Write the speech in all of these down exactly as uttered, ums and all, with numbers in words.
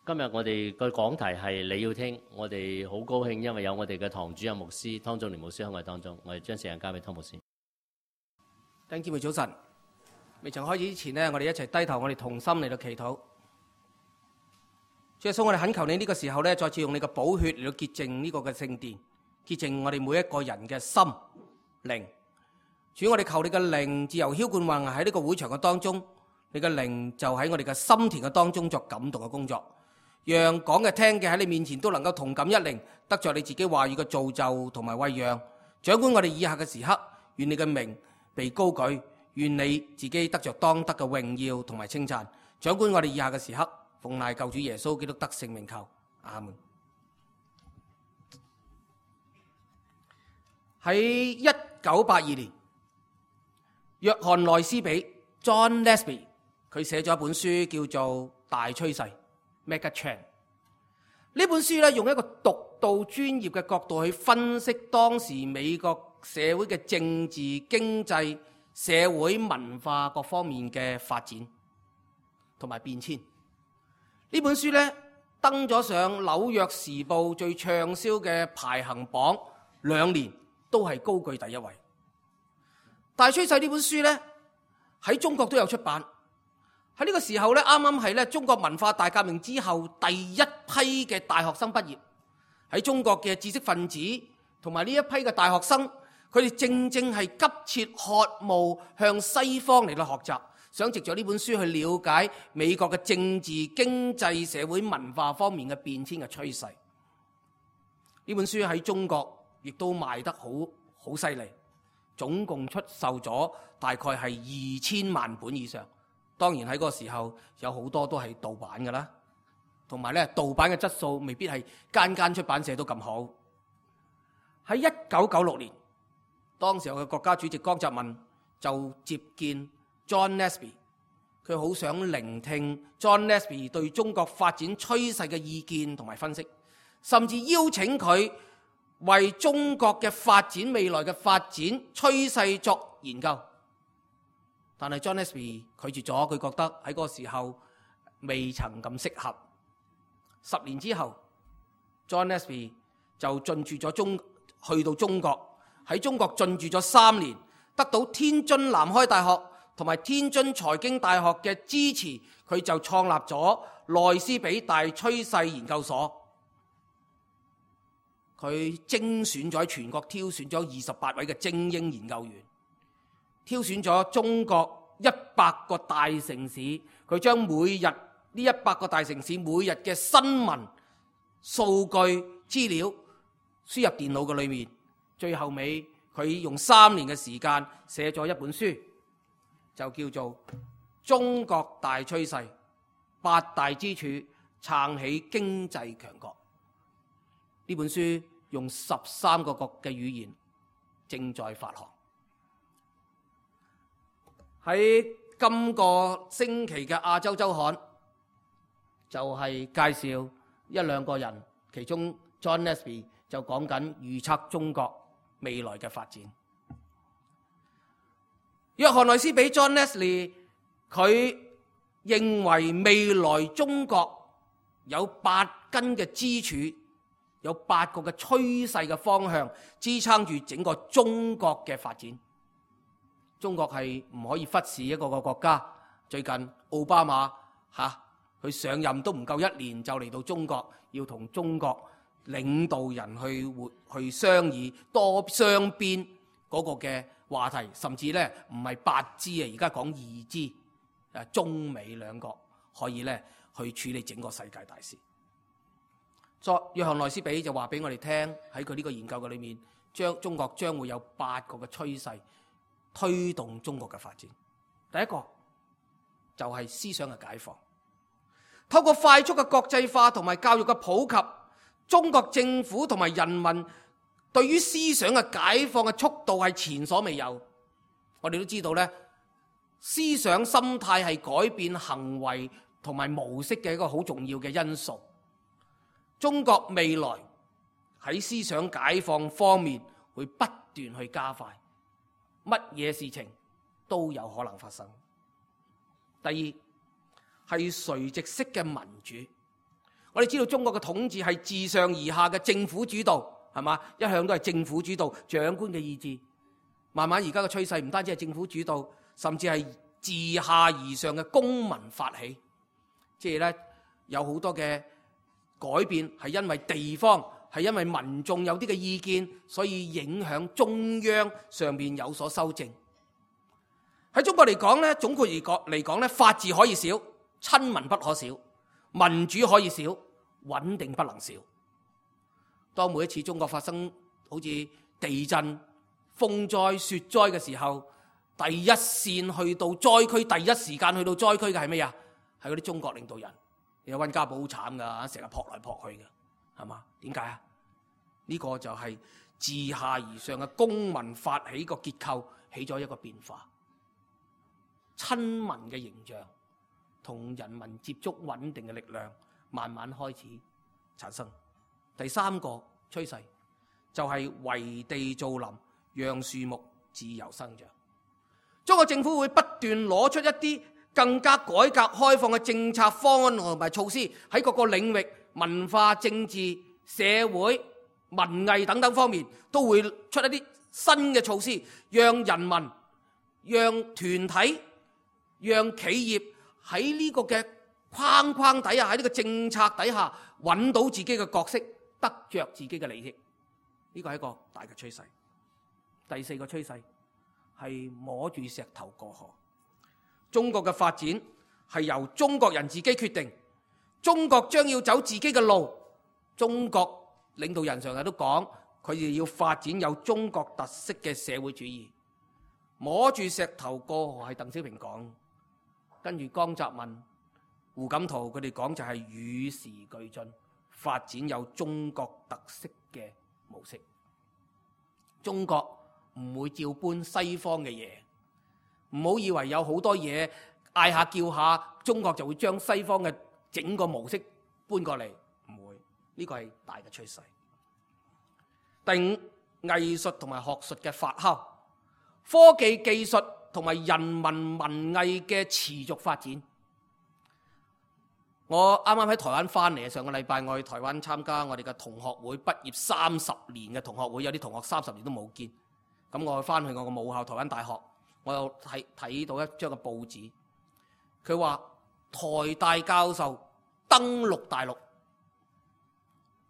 今日我哋個講題係你要聽，我哋好高興，因為有我哋嘅堂主任牧師湯仲年牧師喺我哋當中，我哋將時間交俾湯牧師。弟兄姊妹早晨，未曾開始之前呢，我哋一齊低頭，我哋同心嚟到祈禱。主耶穌，我哋懇求你呢個時候呢，再次用你嘅寶血嚟到潔淨呢個嘅聖殿，潔淨我哋每一個人嘅心靈。主，我哋求你嘅靈自由澆灌橫行喺呢個會場嘅當中，你嘅靈就喺我哋嘅心田嘅當中作感動嘅工作。讓講嘅聽嘅喺你面前都能夠同感一靈，得着你自己話語嘅造就同埋餵養。掌管我哋以下嘅時刻，願你嘅名被高舉，願你自己得着當得嘅榮耀同埋稱讚。掌管我哋以下嘅時刻，奉賴救主耶穌基督得聖名求，阿門。喺一九八二年，約翰內斯比 John Lesby 佢寫咗一本書叫做《大趨勢》Mega Trend。呢本書咧，用一個獨到專業嘅角度去分析當時美國社會嘅政治、經濟、社會文化各方面嘅發展同埋變遷。呢本書咧，登咗上紐約時報最暢銷嘅排行榜兩年，都係高居第一位。大趨勢呢本書咧，喺中國都有出版。喺呢個時候咧，啱啱係咧中國文化大革命之後第一批嘅大學生畢業。喺中國嘅知識分子同埋呢一批嘅大學生，佢哋正正係急切渴慕向西方嚟到學習，想藉著呢本書去了解美國嘅政治、經濟、社會文化方面嘅變遷嘅趨勢。呢本書喺中國亦都賣得好好犀利，總共出售咗大概係二千萬本以上。當然喺嗰個時候有好多都係盜版㗎啦，同埋咧盜版嘅質素未必係間間出版社都咁好。喺一九九六年，當時候嘅國家主席江澤民就接見 John Lesby， 佢好想聆聽 John Lesby 對中國發展趨勢嘅意見同埋分析，甚至邀請佢為中國嘅發展未來嘅發展趨勢作研究。但係 John Lesby 拒絕咗，佢覺得喺嗰個時候未曾咁適合。十年之後 ，John Lesby 就進駐咗中，去到中國，喺中國進駐咗三年，得到天津南開大學同埋天津財經大學嘅支持，佢就創立咗內斯比大趨勢研究所。佢精選咗喺全國挑選咗二十八位嘅精英研究員。挑選咗中國一百個大城市，佢將每日呢一百個大城市每日嘅新聞、數據、資料輸入電腦嘅裏面，最後尾佢用三年嘅時間寫咗一本書，就叫做《中國大趨勢：八大支柱撐起經濟強國》。呢本書用十三個國嘅語言正在發行。喺今個星期嘅亞洲週刊就係介紹一兩個人，其中 John Lesby 就講緊預測中國未來嘅發展。約翰內斯比 John Lesby 佢認為未來中國有八根嘅支柱，有八個嘅趨勢嘅方向支撐住整個中國嘅發展。中國係唔可以忽視一個個國家。最近奧巴馬嚇佢上任都唔夠一年就嚟到中國，要同中國領導人去會去商議多雙邊嗰個嘅話題，甚至咧唔係八支啊，而家講二支，誒中美兩國可以咧去處理整個世界大事。作約翰內斯比就話俾我哋聽，喺佢呢個研究嘅裏面，將中國將會有八個嘅趨勢推動中國嘅發展。第一個就係思想嘅解放，透過快速嘅國際化同埋教育嘅普及，中國政府同埋人民對於思想嘅解放嘅速度係前所未有。我哋都知道咧，思想心態係改變行為同埋模式嘅一個好重要嘅因素。中國未來喺思想解放方面會不斷去加快，乜嘢事情都有可能發生。第二係垂直式嘅民主，我哋知道中國嘅統治係自上而下嘅政府主導，係嘛？一向都係政府主導，長官嘅意志。慢慢而家嘅趨勢唔單止係政府主導，甚至係自下而上嘅公民發起。即係咧，有好多嘅改變係因為地方，係因為民眾有啲嘅意見，所以影響中央上面有所修正。喺中國嚟講咧，總括而講嚟講咧，法治可以少，親民不可少；民主可以少，穩定不能少。當每一次中國發生好似地震、風災、雪災嘅時候，第一線去到災區，第一時間去到災區嘅係咩啊？係嗰啲中國領導人。有溫家寶好慘噶，成日撲來撲去嘅，係嘛？點解啊？呢個就係自下而上嘅公民發起個結構起咗一個變化。親民嘅形象同人民接觸穩定嘅力量慢慢開始產生。第三個趨勢就係圍地造林，讓樹木自由生長。中國政府會不斷攞出一啲更加改革開放嘅政策方案同埋措施，喺各個領域文化、政治、社會、文藝等等方面都會出一啲新嘅措施，讓人民、讓團體、讓企業喺呢個嘅框框底下，喺呢個政策底下揾到自己嘅角色，得着自己嘅利益。呢個係一個大嘅趨勢。第四個趨勢係摸住石頭過河。中國嘅發展係由中國人自己決定，中國將要走自己嘅路。中國領導人常日都講，佢哋要發展有中國特色嘅社會主義。摸住石頭過河係鄧小平講，跟住江澤民、胡錦濤佢哋講就係與時俱進，發展有中國特色嘅模式。中國唔會照搬西方嘅嘢。唔好以為有好多嘢嗌下叫下，中國就會將西方嘅整個模式搬過嚟，唔會。呢個係大嘅趨勢。第五，藝術同埋學術嘅發酵，科技技術同埋人民文藝嘅持續發展。我啱啱喺台灣翻嚟，上個禮拜我去台灣參加我哋嘅同學會，畢業三十年嘅同學會，有啲同學三十年都冇見。咁我翻去我個母校台灣大學。我又睇睇到一張嘅報紙，佢話台大教授登陸大陸。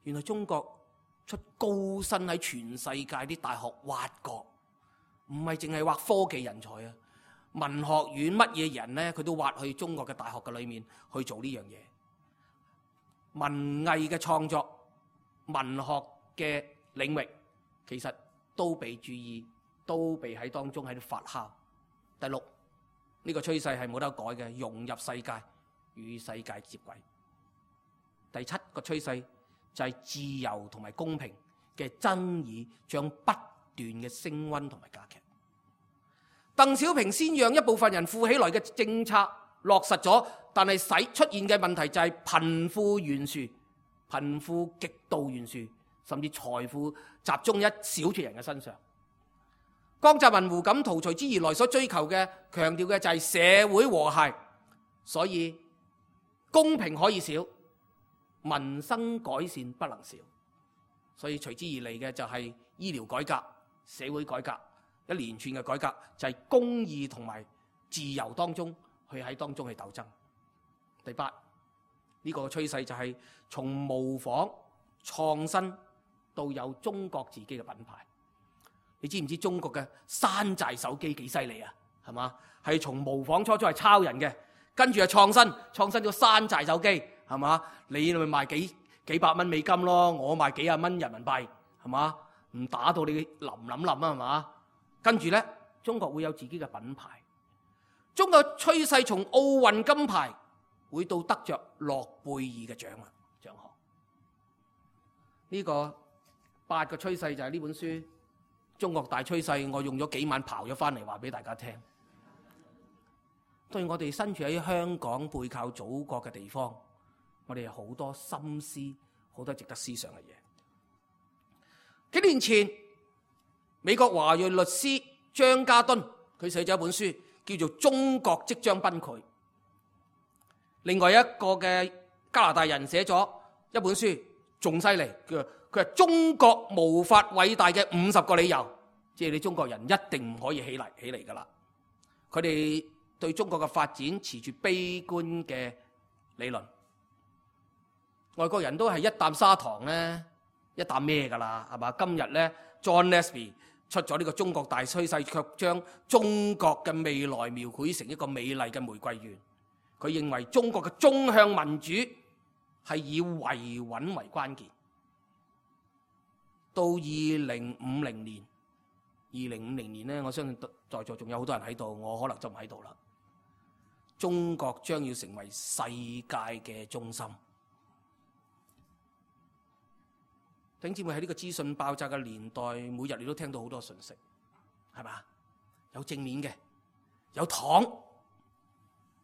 原來中國出高薪喺全世界啲大學挖角，唔係淨係挖科技人才啊！文學院乜嘢人呢？佢都挖去中國嘅大學嘅裏面去做呢樣嘢。文藝嘅創作、文學嘅領域，其實都被注意，都被喺當中喺度發酵。第六，呢個趨勢係冇得改嘅，融入世界，與世界接軌。第七個趨勢就係自由同埋公平嘅爭議將不斷嘅升溫同埋加劇。鄧小平先讓一部分人富起來嘅政策落實咗，但係使出現嘅問題就係貧富懸殊，貧富極度懸殊，甚至財富集中一小撮人嘅身上。江澤民、胡錦濤隨之而來所追求嘅、強調嘅就係社會和諧，所以公平可以少，民生改善不能少。所以隨之而嚟嘅就係醫療改革、社會改革，一連串嘅改革就係公義同埋自由當中去喺當中去鬥爭。第八，呢個趨勢就係從模仿創新到有中國自己嘅品牌。你知唔知中國嘅山寨手機幾犀利啊？係嘛？係從模仿初初係抄人嘅，跟住係創新，創新咗山寨手機，係嘛？你咪賣幾幾百蚊美金咯，我賣幾廿蚊人民幣，係嘛？唔打到你淋淋淋啊，係嘛？跟住咧，中國會有自己嘅品牌。中國趨勢從奧運金牌會到得着諾貝爾嘅獎啊獎項。呢、這個八個趨勢就係呢本書。中國大趨勢，我用咗幾晚刨咗翻嚟話俾大家聽。對我哋身處喺香港背靠祖國嘅地方，我哋有好多心思，好多值得思想嘅嘢。幾年前，美國華裔律師張家敦佢寫咗一本書，叫做《中國即將崩潰》。另外一個嘅加拿大人寫咗《一本書仲犀利，佢佢係中國無法偉大嘅五十個理由，即係你中國人一定唔可以起嚟起嚟噶啦。佢哋對中國嘅發展持住悲觀嘅理論，外國人都係一啖砂糖咧，一啖咩噶啦，係嘛？今日咧 John Lesby 出咗呢個中國大趨勢，卻將中國嘅未來描繪成一個美麗嘅玫瑰園。佢認為中國嘅中向民主係以維穩為關鍵。到二零五零年，二零五零年咧，我相信在座仲有好多人喺度，我可能就唔喺度啦。中國將要成為世界嘅中心。弟兄姊妹，喺呢個資訊爆炸嘅年代，每日你都聽到好多信息，係嘛？有正面嘅，有糖，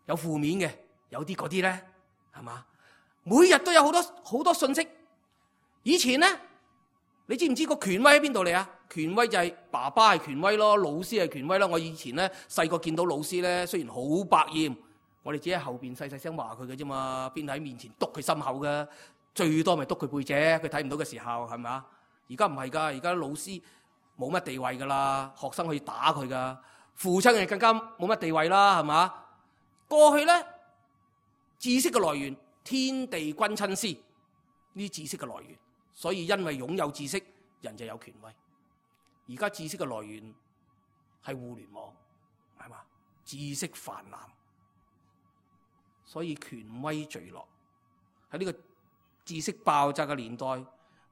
有負面嘅，有啲嗰啲咧，係嘛？每日都有好多好多信息。以前咧，你知唔知個權威喺邊度嚟啊？權威就係爸爸係權威咯，老師係權威咯。我以前咧細個見到老師咧，雖然好百厭，我哋只喺後邊細細聲話佢嘅啫嘛，邊喺面前督佢心口嘅。最多咪督佢背脊，佢睇唔到嘅時候，係咪啊？而家唔係㗎，而家老師冇乜地位㗎啦，學生可以打佢㗎，父親係更加冇乜地位啦，係嘛？過去咧，知識嘅來源天地君親師，呢啲知識嘅來源，所以因為擁有知識，人就有權威。而家知識嘅來源係互聯網，係嘛？知識泛濫，所以權威墜落喺呢個知識爆炸嘅年代，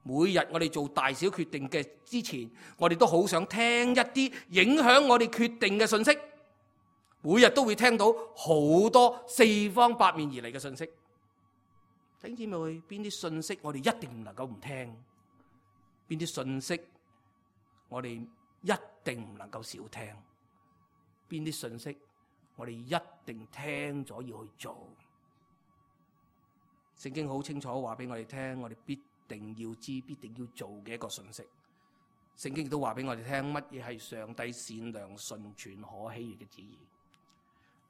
每日我哋做大小決定嘅之前，我哋都好想聽一啲影響我哋決定嘅信息。每日都會聽到好多四方八面而嚟嘅信息。弟兄姊妹，邊啲信息我哋一定唔能夠唔聽？邊啲信息我哋一定唔能夠少聽？邊啲信息我哋一定聽咗要去做？聖經好清楚話俾我哋聽，我哋必定要知、必定要做嘅一個信息。聖經亦都話俾我哋聽，乜嘢係上帝善良、純全、可喜悅嘅旨意。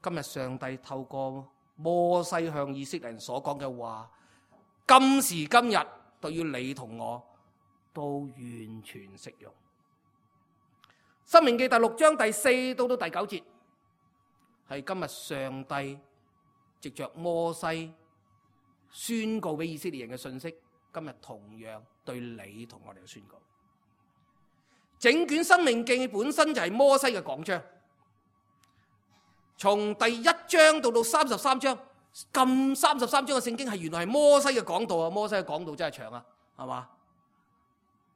今日上帝透過摩西向以色列人所講嘅話，今時今日對於你同我都完全適用。申命記第六章第四到到第九節，係今日上帝藉着摩西宣告俾以色列人嘅信息，今日同樣對你同我哋嘅宣告。整卷申命記本身就係摩西嘅講章，從第一章到到三十三章，咁三十三章嘅聖經係原來係摩西嘅講道啊！摩西嘅講道真係長啊，係嘛？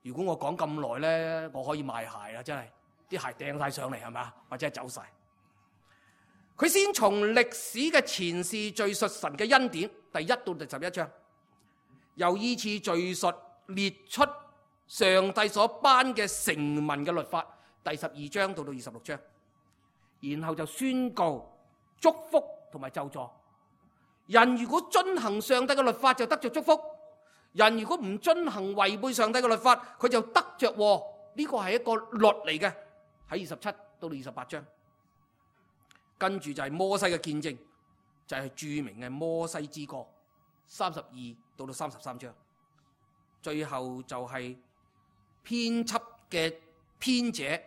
如果我講咁耐咧，我可以賣鞋啊！真係啲鞋掟晒上嚟，係嘛？或者係走晒。佢先從歷史嘅前事敘述神嘅恩典，第一到第十一章，又依次敘述列出上帝所頒嘅成文嘅律法，第十二章到到二十六章，然後就宣告祝福同埋咒詛。人如果遵行上帝嘅律法，就得着祝福；人如果唔遵行違背上帝嘅律法，佢就得着禍。呢個係一個律嚟嘅，喺二十七到二十八章。跟住就係摩西嘅見證，就係、是、著名嘅摩西之歌，三十二到到三十三章。最後就係編輯嘅編者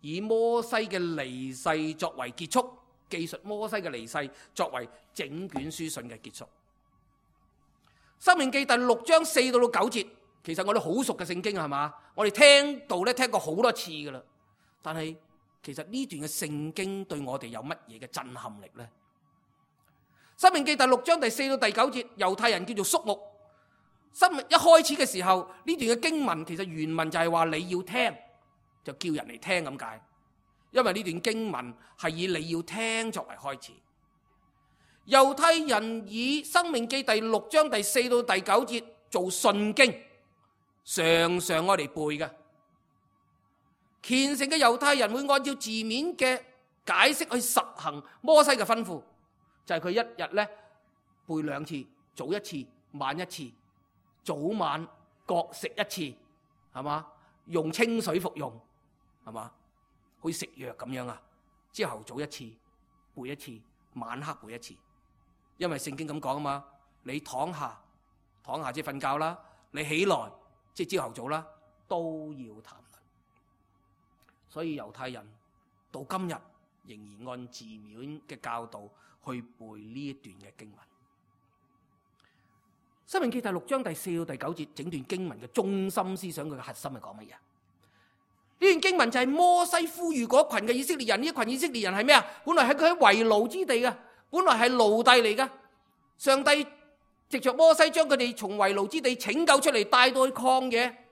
以摩西嘅離世作為結束，記述摩西嘅離世作為整卷書信嘅結束。申命記第六章四到到九節，其實我哋好熟嘅聖經係嘛？我哋聽到咧聽過好多次噶啦，但係其實呢段嘅聖經對我哋有乜嘢嘅震撼力呢？申命記第六章第四到第九節，猶太人叫做宿木。申命一開始嘅時候，呢段嘅經文其實原文就係話你要聽，就叫人嚟聽咁解。因為呢段經文係以你要聽作為開始。猶太人以申命記第六章第四到第九節做信經，常常我哋背嘅。虔誠嘅猶太人會按照字面嘅解釋去實行摩西嘅吩咐，就係佢一日咧背兩次，早一次，晚一次，早晚各食一次，係嘛？用清水服用，係嘛？好似食藥咁樣啊！朝頭早一次，背一次，晚黑背一次，因為聖經咁講啊嘛，你躺下躺下即係瞓覺啦，你起來即係朝頭早啦，都要談論。所以猶太人到今日仍然按字面嘅教導去背呢一段嘅經文。申命記第六章第四到第九節，整段經文嘅中心思想，佢嘅核心係講乜嘢？呢段經文就係摩西呼籲嗰群嘅以色列人，呢一群以色列人係咩啊？本來係佢喺為奴之地嘅，本來係奴隸嚟嘅。上帝藉着摩西將佢哋從為奴之地拯救出嚟，帶到去曠野，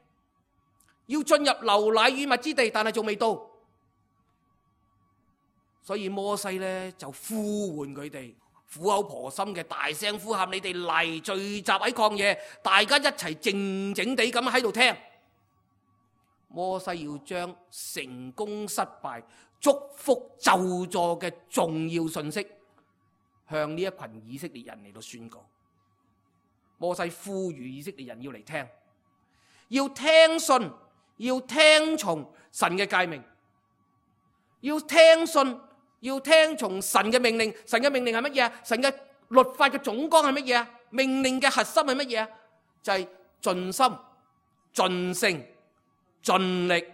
要進入流奶與蜜之地，但係仲未到。所以摩西咧就呼喚佢哋，苦口婆心嘅大聲呼喊：你哋嚟聚集喺曠野，大家一齊靜靜地咁喺度聽。摩西要將成功失敗、祝福咒詛嘅重要信息向呢一群以色列人嚟到宣告。摩西呼籲以色列人要嚟聽，要聽信，要聽從神嘅誡命，要聽信，要聽從神嘅命令。神嘅命令係乜嘢？神嘅律法嘅總綱係乜嘢？命令嘅核心係乜嘢？就係盡心、盡性、盡力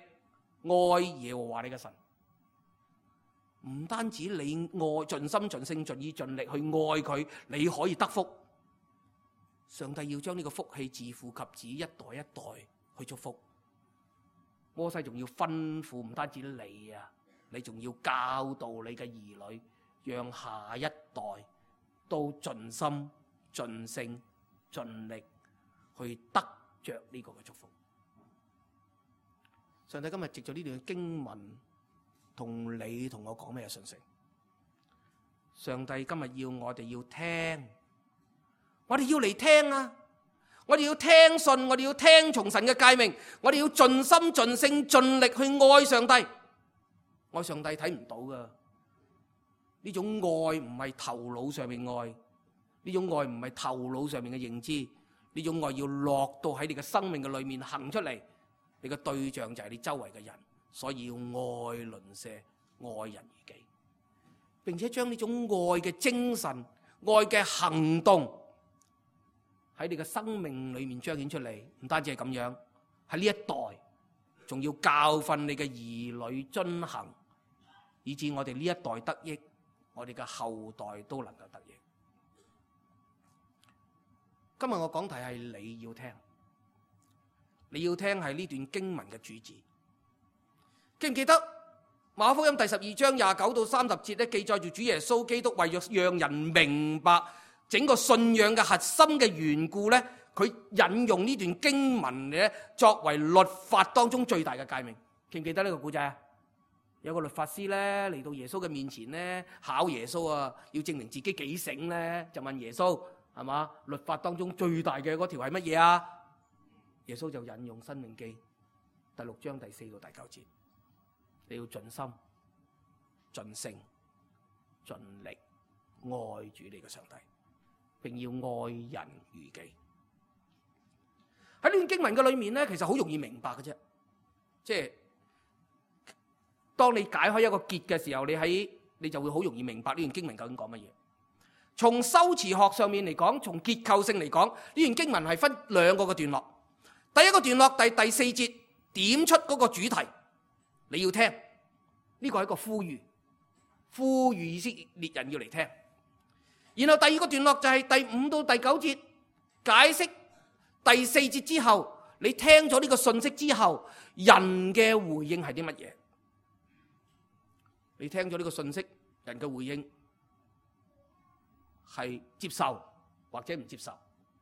愛耶和華你嘅神。唔單止你愛盡心盡性盡意盡力去愛佢，你可以得福。上帝要將呢個福氣自父及子一代一代去祝福。摩西仲要吩咐，唔單止你啊，你仲要教導你嘅兒女，讓下一代都盡心盡性盡力去得着呢個嘅祝福。上帝今日藉著呢段經文同你同我講咩信息？上帝今日要我哋要聽，我哋要嚟聽啊！我哋要聽信，我哋要聽從神嘅誡命，我哋要盡心盡性盡力去愛上帝。愛上帝睇唔到噶，呢種愛唔係頭腦上面愛，呢種愛唔係頭腦上面嘅認知，呢種愛要落到喺你嘅生命嘅裏面行出嚟。你嘅對象就係你周圍嘅人，所以要愛鄰舍，愛人如己，並且將呢種愛嘅精神、愛嘅行動喺你嘅生命裏面彰顯出嚟。唔單止係咁樣，喺呢一代仲要教訓你嘅兒女遵行，以致我哋呢一代得益，我哋嘅後代都能夠得益。今日我講題係你要聽。你要聽係呢段經文嘅主旨，記唔記得馬可福音第十二章廿九到三十節咧，記載住主耶穌基督為咗讓人明白整個信仰嘅核心嘅緣故咧，佢引用呢段經文咧作為律法當中最大嘅誡命。記唔記得呢個故仔啊？有個律法師咧嚟到耶穌嘅面前咧，考耶穌啊，要證明自己幾醒咧，就問耶穌係嘛？律法當中最大嘅嗰條係乜嘢啊？耶穌就引用申命記第六章第四到第九節，你要盡心、盡性、盡力愛主你嘅上帝，並要愛人如己。喺呢段經文嘅裏面咧，其實好容易明白嘅啫。即係當你解開一個結嘅時候，你喺你就會好容易明白呢段經文究竟講乜嘢。從修辭學上面嚟講，從結構性嚟講，呢段經文係分兩個嘅段落。第一個段落第第四節點出嗰個主題，你要聽，呢個係一個呼籲，呼籲以色列人要嚟聽。然後第二個段落就係第五到第九節解釋第四節之後，你聽咗呢個信息之後，人嘅回應係啲乜嘢？你聽咗呢個信息，人嘅回應係接受或者唔接受，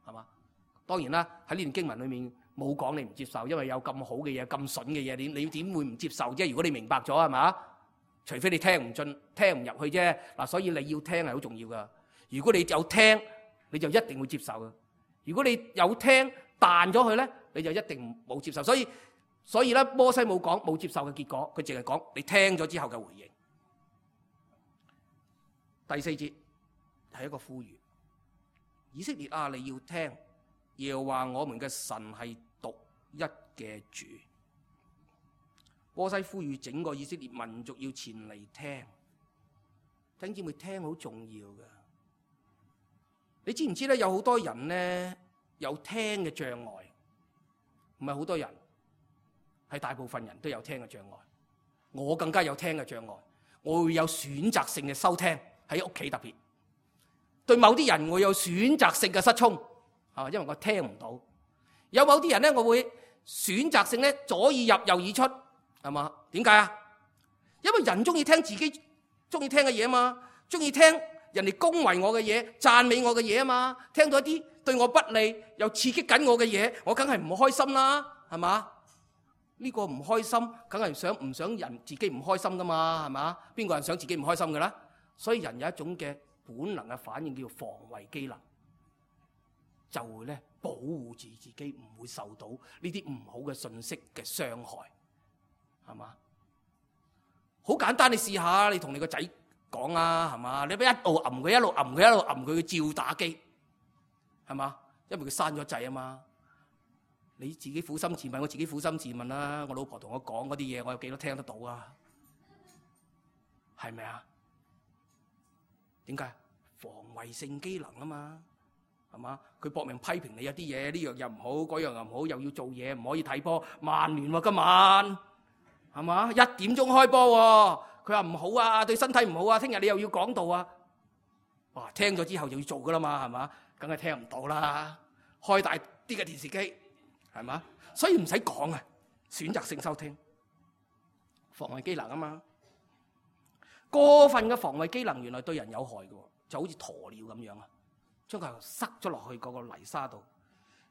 係嘛？當然啦，喺呢段經文裏面冇講你唔接受，因為有咁好嘅嘢、咁筍嘅嘢，你你點會唔接受啫？如果你明白咗，係嘛？除非你聽唔進、聽唔入去啫。嗱，所以你要聽係好重要噶。如果你有聽，你就一定會接受噶。如果你有聽彈咗佢咧，你就一定冇接受。所以所以咧，摩西冇講冇接受嘅結果，佢淨係講你聽咗之後嘅回應。第四節係一個呼籲，以色列啊，你要聽。耶和華我們嘅神係獨一嘅主。摩西呼籲整個以色列民族要前嚟聽，弟兄姊妹，聽好重要噶。你知唔知咧？有好多人咧，有聽嘅障礙，唔係好多人，係大部分人都有聽嘅障礙。我更加有聽嘅障礙，我會有選擇性嘅收聽，喺屋企特別。對某啲人我有選擇性嘅失聰，啊，因為我聽唔到。有某啲人咧，我會選擇性咧左耳入右耳出，係嘛？點解啊？因為人中意聽自己中意聽嘅嘢啊嘛，中意聽人哋恭維我嘅嘢、讚美我嘅嘢啊嘛。聽到一啲對我不利又刺激緊我嘅嘢，我梗係唔開心啦，係嘛？呢個唔開心，梗係想唔想人自己唔開心噶嘛，係嘛？邊個人想自己唔開心嘅咧？所以人有一種嘅本能嘅反應叫防衛機能，就會咧保護住自己唔會受到呢啲唔好嘅信息嘅傷害，係嘛？好簡單，你試下，你同你個仔講啊，係嘛？你俾一路揞佢，一路揞佢，一路揞佢，佢照打機，係嘛？因為佢生咗仔啊嘛。你自己苦心自問，我自己苦心自問啦。我老婆同我講嗰啲嘢，我有幾多聽得到啊？係咪啊？點解？防衛性機能啊嘛，係嘛？佢搏命批評你有啲嘢，呢樣又唔好，嗰樣又唔好，又要做嘢，唔可以睇波。曼聯喎，今晚係嘛？一點鐘開波喎，佢話唔好啊，對身體唔好啊。聽日你又要講道啊。哇！聽咗之後就要做噶啦嘛，係嘛？梗係聽唔到啦。開大啲嘅電視機。係嘛？所以唔使講啊，選擇性收聽，防衛機能啊嘛。過分嘅防衛機能原來對人有害嘅，就好似鴕鳥咁樣啊，將佢塞咗落去嗰個泥沙度。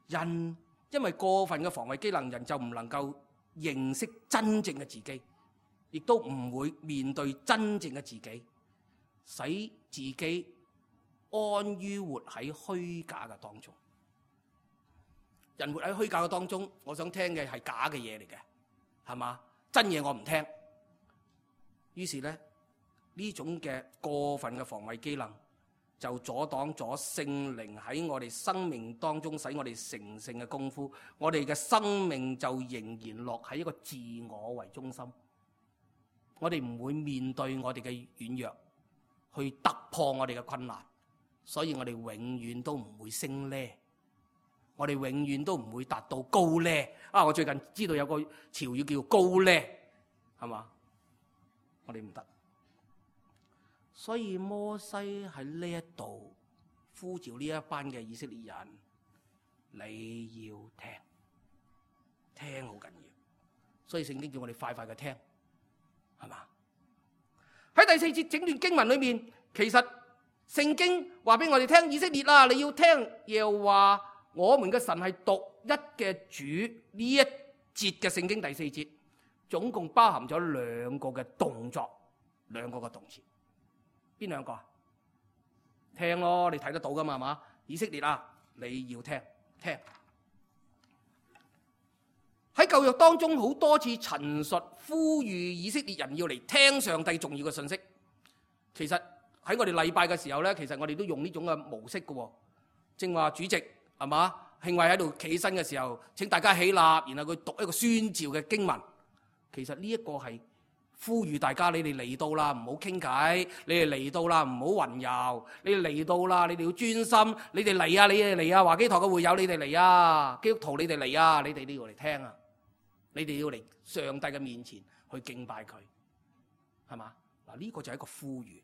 人因為過分嘅防衛機能，人就唔能夠認識真正嘅自己，亦都唔會面對真正嘅自己，使自己安於活喺虛假嘅當中。人活喺虛假嘅當中，我想聽嘅係假嘅嘢嚟嘅，係嘛？真嘢我唔聽。於是咧，呢種嘅過分嘅防衛機能，就阻擋咗聖靈喺我哋生命當中使我哋成聖嘅功夫。我哋嘅生命就仍然落喺一個自我為中心。我哋唔會面對我哋嘅軟弱，去突破我哋嘅困難，所以我哋永遠都唔會升呢。我哋永遠都唔會達到高呢啊！我最近知道有個潮語叫高呢，係嘛？我哋唔得，所以摩西喺呢一度呼召呢一班嘅以色列人，你要聽，聽好緊要。所以聖經叫我哋快快嘅聽，係嘛？喺第四節整段經文裏面，其實聖經話俾我哋聽，以色列啊，你要聽，又話。我們嘅神係獨一嘅主，呢一節嘅聖經第四節，總共包含咗兩個嘅動作，兩個嘅動詞，邊兩個啊？聽咯，你睇得到噶嘛？係嘛？以色列啊，你要聽聽。喺舊約當中好多次陳述呼籲以色列人要嚟聽上帝重要嘅信息。其實喺我哋禮拜嘅時候咧，其實我哋都用呢種嘅模式嘅。正話主席。係嘛？慶惠喺度企起身嘅時候，請大家起立，然後佢讀一個宣召嘅經文。其實呢一個係呼籲大家，你哋嚟到啦，唔好傾偈；你哋嚟到啦，唔好混淆；你哋嚟到啦，你哋要專心。你哋嚟啊，你哋嚟啊！華基堂嘅會友，你哋嚟啊！基督徒，你哋嚟啊！你哋都要嚟聽啊！你哋要嚟上帝嘅面前去敬拜佢，係嘛？嗱，呢個就係一個呼籲。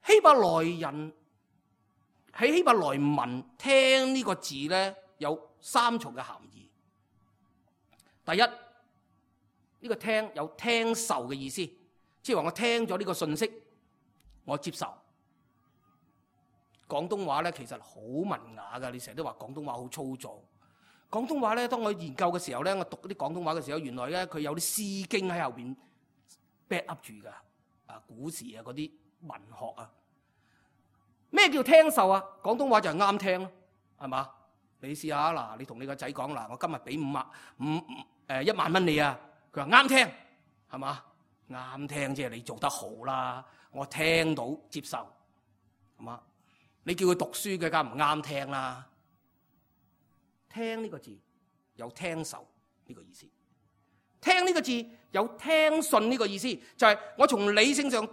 希伯來人。喺希伯來文聽呢個字咧，有三重嘅含義。第一，呢、這個聽有聽受嘅意思，即係話我聽咗呢個信息，我接受。廣東話咧其實好文雅噶，你成日都話廣東話好粗糙。廣東話咧，當我研究嘅時候咧，我讀啲廣東話嘅時候，原來咧佢有啲詩經喺後邊 back up 住噶，啊古時啊嗰啲文學啊。咩叫聽受啊？廣東話就係啱聽咯，係嘛？你試下嗱，你同你個仔講嗱，我今日俾五萬五誒一萬蚊你啊，佢話啱聽，係嘛？啱聽即係你做得好啦，我聽到接受，係嘛？你叫佢讀書嘅梗唔啱聽啦。聽呢個字有聽受呢個意思，聽呢個字有聽信呢個意思，就係我從理性上。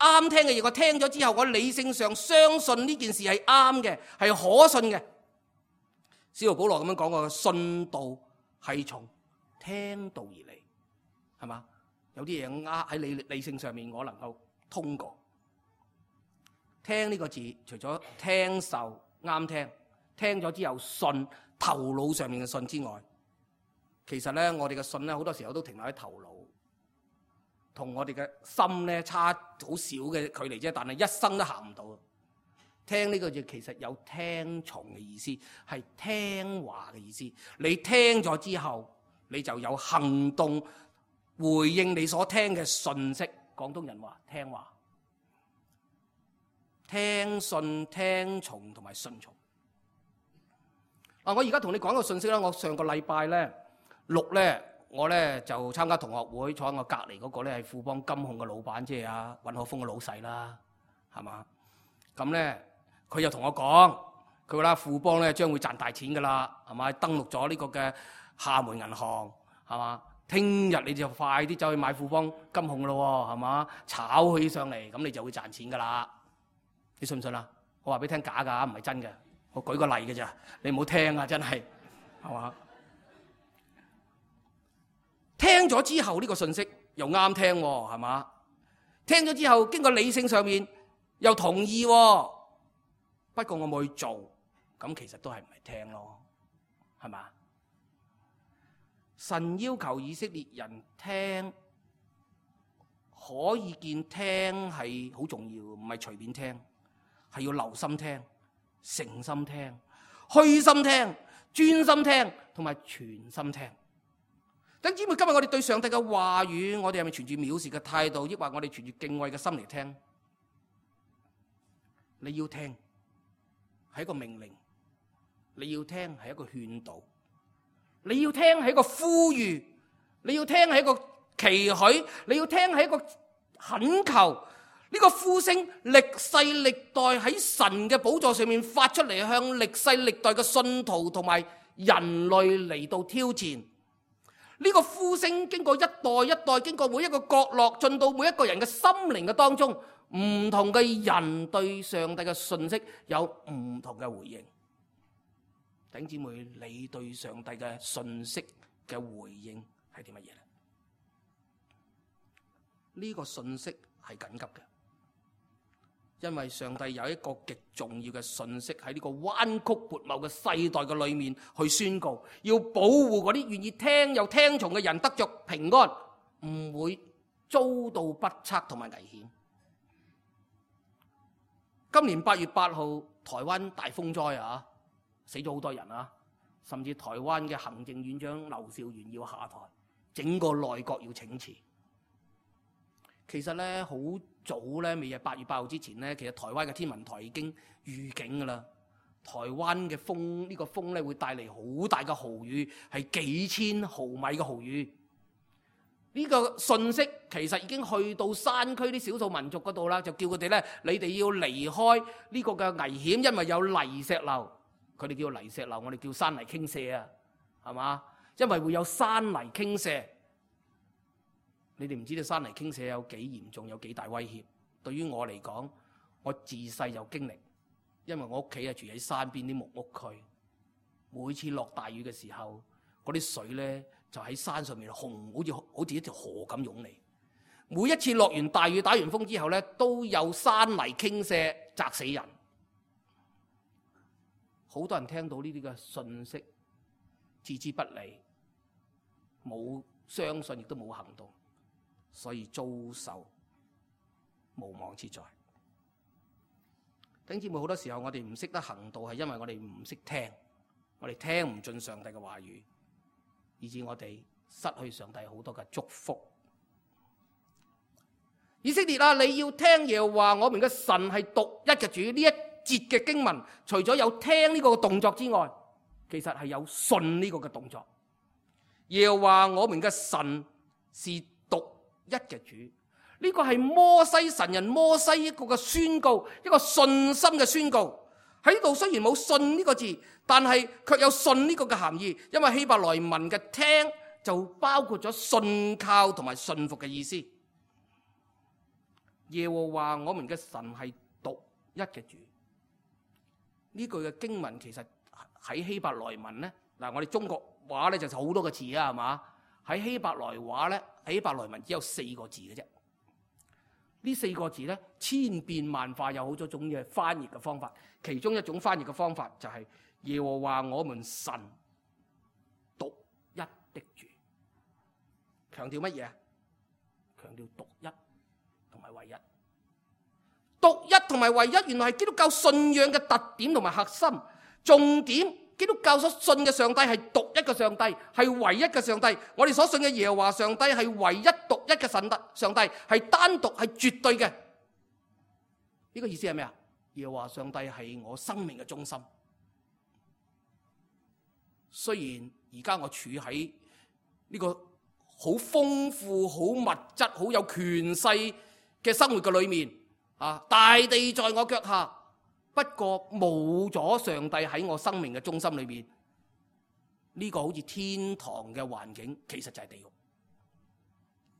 啱聽嘅嘢，我聽咗之後，我理性上相信呢件事係啱嘅，係可信嘅。使徒保羅咁樣講過，信道係從聽道而嚟，係嘛？有啲嘢呃喺理理性上面，我能夠通過。聽呢個字，除咗聽受啱聽，聽咗之後信頭腦上面嘅信之外，其實咧我哋嘅信咧好多時候都停留喺頭腦，同我哋嘅心咧差好少嘅距離啫，但係一生都行唔到。聽呢個字其實有聽從嘅意思，係聽話嘅意思。你聽咗之後，你就有行動回應你所聽嘅信息。廣東人話聽話、聽信、聽從同埋順從。嗱，我而家同你講個信息啦。我上個禮拜咧六咧，我咧就參加同學會，坐喺我隔離嗰個咧係富邦金控嘅老闆，即係阿尹可峰嘅老細啦，係嘛？咁咧佢又同我講，佢話啦富邦咧將會賺大錢噶啦，係嘛？登錄咗呢個嘅廈門銀行，係嘛？聽日你就快啲走去買富邦金控咯，係嘛？炒佢上嚟，咁你就會賺錢噶啦。你信唔信啊？我話俾你聽假㗎，唔係真嘅。我舉個例嘅咋，你唔好聽啊！真係，係嘛？聽咗之後呢個信息又啱聽喎，係嘛？聽咗之後經過理性上面又同意喎，不過我冇去做，咁其實都係唔係聽咯，係嘛？神要求以色列人聽，可以見聽係好重要，唔係隨便聽，係要留心聽、誠心聽、虛心聽、專心聽同埋全心聽。弟兄姊妹，今日我哋對上帝嘅話語，我哋係咪存住藐視嘅態度，抑或我哋存住敬畏嘅心嚟聽？你要聽係一個命令，你要聽係一個勸導，你要聽係一個呼籲，你要聽係一個期許，你要聽係一個懇求。呢個呼聲歷世歷代喺神嘅寶座上面發出嚟，向歷世歷代嘅信徒同埋人類嚟到挑戰。呢個呼聲經過一代一代，經過每一個角落，進到每一個人嘅心靈嘅當中，唔同嘅人對上帝嘅信息有唔同嘅回應。弟兄姊妹，你對上帝嘅信息嘅回應係啲乜嘢咧？呢個信息係緊急嘅，因為上帝有一個極重要嘅信息喺呢個彎曲悖謬嘅世代嘅裏面去宣告，要保護嗰啲願意聽又聽從嘅人得着平安，唔會遭到不測同埋危險。今年八月八號台灣大風災啊，死咗好多人啊，甚至台灣嘅行政院長劉兆元要下台，整個內閣要請辭。其實咧好早咧，未係八月八號之前咧，其實台灣嘅天文台已經預警噶啦。台灣嘅風呢、呢個風咧會帶嚟好大嘅豪雨，係幾千毫米嘅豪雨。呢、呢個信息其實已經去到山區啲少數民族嗰度啦，就叫佢哋咧，你哋要離開呢個嘅危險，因為有泥石流。佢哋叫泥石流，我哋叫山泥傾瀉啊，係嘛？因為會有山泥傾瀉。你哋唔知道山泥傾瀉有幾嚴重，有幾大威脅。對於我嚟講，我自細就經歷，因為我屋企係住喺山邊啲木屋區。每次落大雨嘅時候，嗰啲水咧就喺山上面洪，好似好似一條河咁湧嚟。每一次落完大雨、打完風之後咧，都有山泥傾瀉，砸死人。好多人聽到呢啲嘅信息，置之不理，冇相信亦都冇行動。所以遭受無妄之災。弟兄姊妹，好多時候我哋唔識得行道，係因為我哋唔識聽，我哋聽唔進上帝嘅話語，以致我哋失去上帝好多嘅祝福。以色列啊，你要聽耶和華我們嘅神係獨一嘅主。呢一節嘅經文，除咗有聽呢個動作之外，其實係有信呢個嘅動作。耶和華我們嘅神是一嘅主，呢個係摩西神人摩西一個嘅宣告，一個信心嘅宣告。喺度雖然冇信呢個字，但係卻有信呢個嘅含義，因為希伯來文嘅聽就包括咗信靠同埋信服嘅意思。耶和華我們嘅神係獨一嘅主，呢句嘅經文其實喺希伯來文咧，嗱我哋中國話咧就好多個字啊，係嘛？喺希伯來話咧，喺希伯來文只有四個字嘅啫。呢四個字咧千變萬化，有好多種嘅翻譯嘅方法。其中一種翻譯嘅方法就係耶和華我們神獨一的主，強調乜嘢？強調獨一同埋唯一。獨一同埋唯一，原來係基督教信仰嘅特點同埋核心重點。基督教所信嘅上帝係獨一嘅上帝，係唯一嘅上帝。我哋所信嘅耶和華上帝係唯一獨一嘅神德上帝，係單獨係絕對嘅。呢、這個意思係咩啊？耶和華上帝係我生命嘅中心。雖然而家我處喺呢個好豐富、好物質、好有權勢嘅生活嘅裏面，啊，大地在我腳下。不過冇咗上帝喺我生命嘅中心裏面，呢、這個好似天堂嘅環境，其實就係地獄。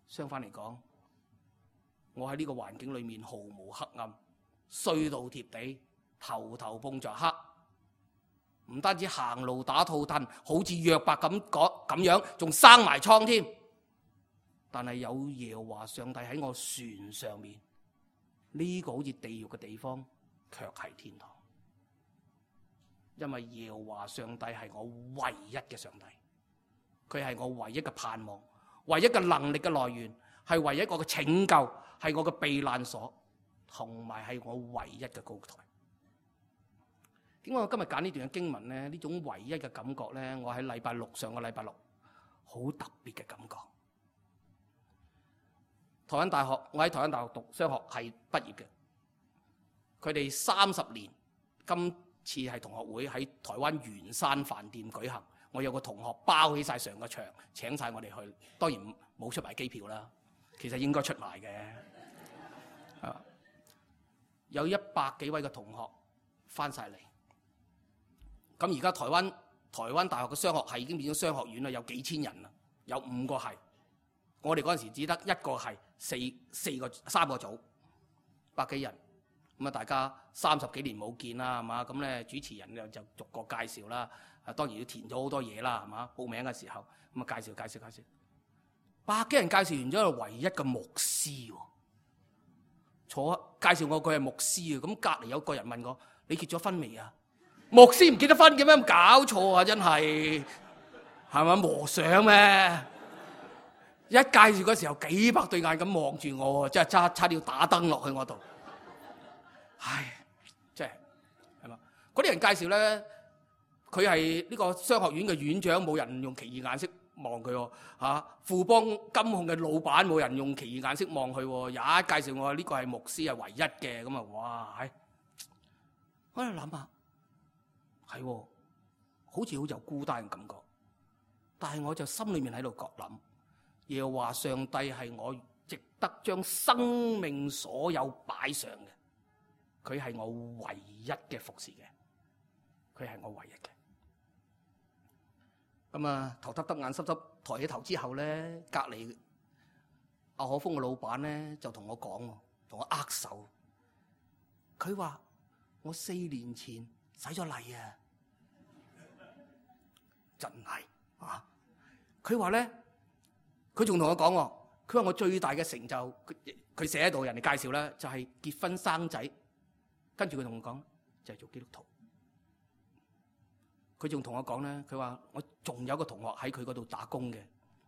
相反嚟講，我喺呢個環境裏面毫無黑暗，衰到貼地，頭頭碰着黑，唔單止行路打套褪，好似約伯咁講咁樣，仲生埋瘡添。但係有耶和華上帝喺我船上面，呢、這個好似地獄嘅地方，卻係天堂，因為耶和華上帝係我唯一嘅上帝，佢係我唯一嘅盼望，唯一嘅能力嘅來源，係唯一一個嘅拯救，係我嘅避難所，同埋係我唯一嘅高台。點解我今日揀呢段嘅經文呢？呢種唯一嘅感覺呢，我喺禮拜六上個禮拜六好特別嘅感覺。台灣大學，我喺台灣大學讀商學系畢業嘅。佢哋三十年，今次係同學會喺台灣圓山飯店舉行。我有個同學包起晒成個場，請晒我哋去。當然冇出埋機票啦，其實應該出埋嘅。啊，有一百幾位嘅同學翻晒嚟。咁而家台灣台灣大學嘅商學系已經變咗商學院啦，有幾千人啦，有五個系。我哋嗰陣時只得一個系，四四個三個組，百幾人。咁啊，大家三十幾年冇見啦，係嘛？咁咧主持人就就逐個介紹啦。啊，當然要填咗好多嘢啦，係嘛？報名嘅時候咁啊，介紹介紹介紹。百幾人介紹完咗，唯一嘅牧師喎，坐介紹我佢係牧師啊。咁隔離有個人問我：你結咗婚未啊？牧師唔結得婚嘅咩？咁搞錯啊！真係係咪和尚咩？一介紹嗰時候，幾百對眼咁望住我，真係差差啲要打燈落去我度。唉，即係係嘛？嗰啲人介紹咧，佢係呢個商學院嘅院長，冇人用奇異眼色望佢喎。嚇，富邦金控嘅老闆，冇人用奇異眼色望佢喎。也介紹我呢個係牧師，係唯一嘅。咁啊，哇！唉，我喺度諗下，係喎，好似好有孤單嘅感覺。但係我就心裏面喺度覺諗，耶和華上帝係我值得將生命所有擺上嘅。佢係我唯一嘅服侍嘅，佢係我唯一嘅。咁啊，頭耷耷眼濕濕抬起頭之後咧，隔離阿可豐嘅老闆咧就同我講，同我握手。佢話：我四年前洗咗禮啊，真係啊！佢話咧，佢仲同我講喎，佢話我最大嘅成就，佢寫喺度，人哋介紹咧就係結婚生仔。跟住佢同我講，就係做基督徒。佢仲同我講咧，佢話我仲有個同學喺佢嗰度打工嘅，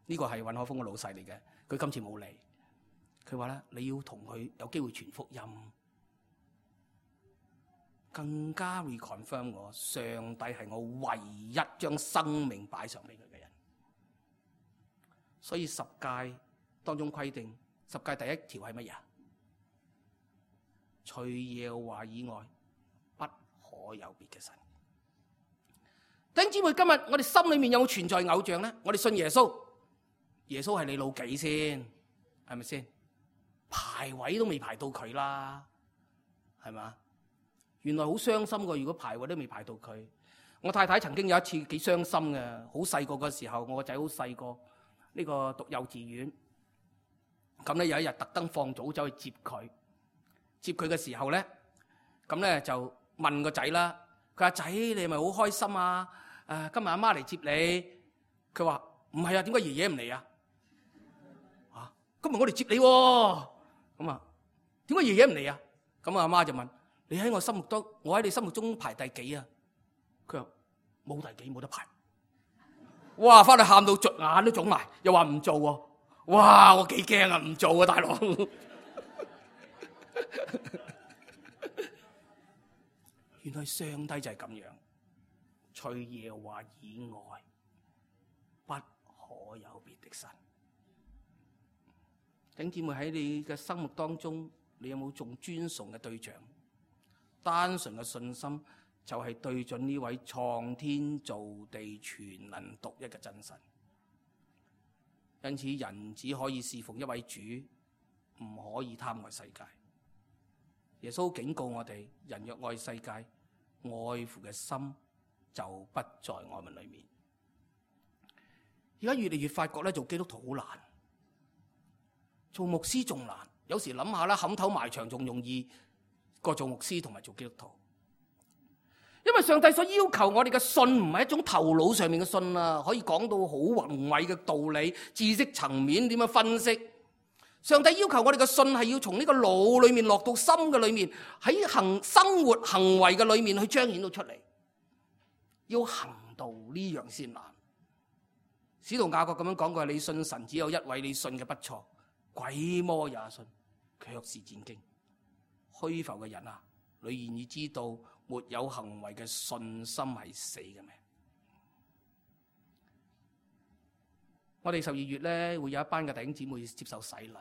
呢個係尹可豐嘅老細嚟嘅。佢今次冇嚟，佢話咧，你要同佢有機會傳福音，更加 reconfirm 我上帝係我唯一將生命擺上俾佢嘅人。所以十誡當中規定，十誡第一條係乜嘢？除耶和華以外，不可有別嘅神。弟兄姊妹，今日我哋心裏面有冇存在偶像咧？我哋信耶穌，耶穌係你老幾先？係咪先？排位都未排到佢啦，係嘛？原來好傷心噶，如果排位都未排到佢。我太太曾經有一次幾傷心嘅，好細個嘅時候，我個仔好細個，呢個讀幼稚園。咁咧有一日特登放早走去接佢。接佢嘅時候咧，咁咧就問個仔啦，佢話仔，你係咪好開心啊？誒，今日阿媽嚟接你。佢話唔係啊，點解爺爺唔嚟啊？啊，今日我嚟接你喎。咁啊，點解爺爺唔嚟啊？咁阿媽就問：你喺我心目中，我喺你心目中排第幾啊？佢話冇第幾，冇得排。哇！翻去喊到捽眼都腫埋，又話唔做喎。哇！我幾驚啊，唔做啊，大佬。原來上帝就係咁樣，除耶和華以外，不可有別的神。弟兄姊妹，喺你嘅生活當中，你有冇仲尊崇嘅對象？單純嘅信心就係對準呢位創天造地全能獨一嘅真神。因此，人只可以侍奉一位主，唔可以貪愛世界。耶穌警告我哋：人若愛世界，愛父嘅心就不在我們裏面。而家越嚟越發覺咧，做基督徒好難，做牧師仲難。有時諗下啦，冚頭埋牆仲容易過做牧師同埋做基督徒。因為上帝所要求我哋嘅信唔係一種頭腦上面嘅信啊，可以講到好宏偉嘅道理、知識層面點樣分析。上帝要求我哋嘅信係要從呢個腦裏面落到心嘅裏面，喺行生活行為嘅裏面去彰顯到出嚟。要行道呢樣先難。使徒雅各咁樣講過：你信神只有一位，你信嘅不錯，鬼魔也信，卻是戰驚。虛浮嘅人啊，你願意知道沒有行為嘅信心係死嘅咩？我哋十二月咧會有一班嘅弟兄姊妹接受洗禮。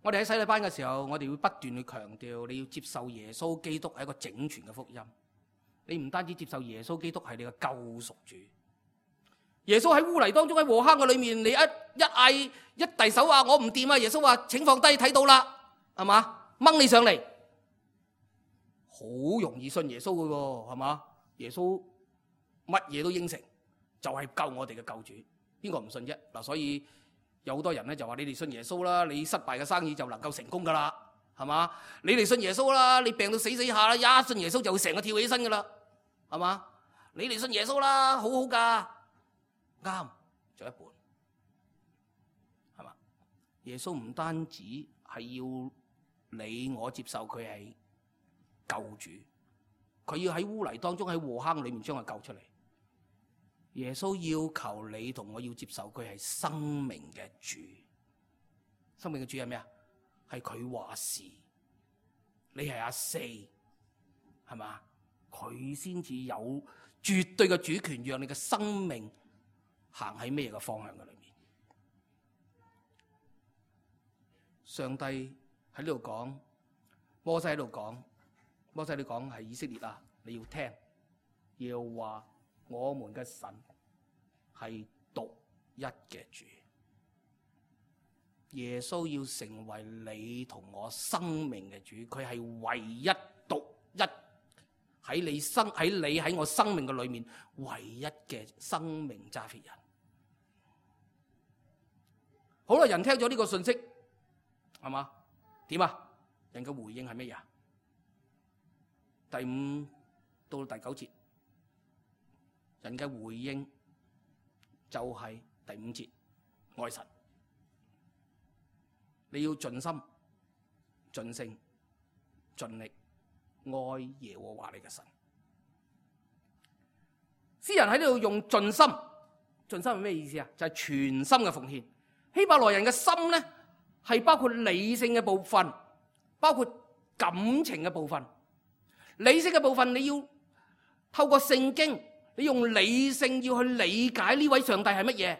我哋喺洗禮班嘅時候，我哋會不斷去強調，你要接受耶穌基督係一個整全嘅福音。你唔單止接受耶穌基督係你嘅救贖主，耶穌喺污泥當中喺禍坑嘅裏面，你一一嗌一遞手話我唔掂啊！耶穌話請放低，睇到啦，係嘛？掹你上嚟，好容易信耶穌嘅喎，係嘛？耶穌乜嘢都應承，就係救我哋嘅救主，邊個唔信啫？嗱，所以有好多人咧就話你哋信耶穌啦，你失敗嘅生意就能夠成功噶啦，係嘛？你哋信耶穌啦，你病到死死下啦，一信耶穌就會成個跳起身噶啦，係嘛？你哋信耶穌啦，好好噶，啱就一半，係嘛？耶穌唔單止係要你我接受佢係救主，佢要喺污泥當中喺禍坑裏面將佢救出嚟。耶穌要求你同我要接受佢係生命嘅主，生命嘅主係咩啊？係佢話事，你係阿四，係嘛？佢先至有絕對嘅主權，讓你嘅生命行喺咩嘅方向嘅裏面。上帝喺呢度講，摩西喺度講，摩西你講係以色列啊，你要聽，要話我們嘅神係獨一嘅主，耶穌要成為你同我生命嘅主，佢係唯一獨一喺你生喺你喺我生命嘅裏面唯一嘅生命揸 fit 人。好啦，人聽咗呢個信息，係嘛？點啊？人嘅回應係咩嘢？第五到第九節，人嘅回應就係第五節，愛神。你要盡心、盡性、盡力愛耶和華你嘅神。詩人喺呢度用盡心，盡心係咩意思啊？就係全心嘅奉獻。希伯來人嘅心咧，係包括理性嘅部分，包括感情嘅部分。理性嘅部分你要透過聖經，你用理性要去理解呢位上帝係乜嘢。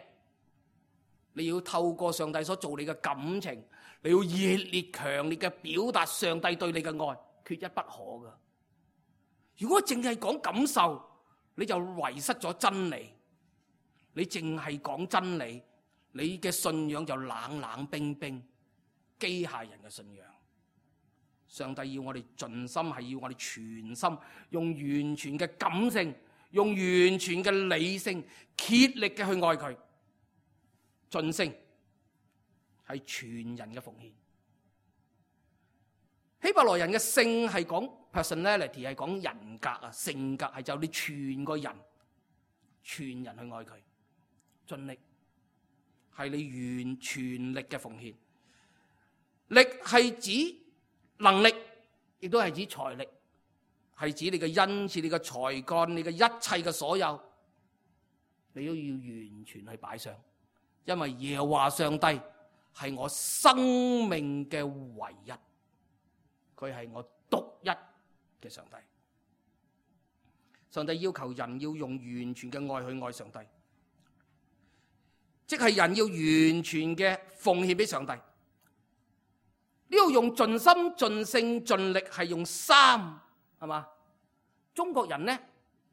你要透過上帝所做你嘅感情，你要熱烈強烈嘅表達上帝對你嘅愛，缺一不可噶。如果淨係講感受，你就遺失咗真理。你淨係講真理，你嘅信仰就冷冷冰冰、機械人嘅信仰。上帝要我哋盡心，係要我哋全心，用完全嘅感性，用完全嘅理性，竭力嘅去愛佢。盡性係全人嘅奉獻。希伯來人嘅性係講 personality 係講人格啊，性格係就你全個人，全人去愛佢，盡力係你完全力嘅奉獻。力係指能力，亦都係指財力，係指你嘅恩賜、你嘅才幹、你嘅一切嘅所有，你都要完全去擺上，因為耶和華上帝係我生命嘅唯一，佢係我獨一嘅上帝。上帝要求人要用完全嘅愛去愛上帝，即係人要完全嘅奉獻俾上帝。呢度用盡心、盡性、盡力係用三，係嘛？中國人呢，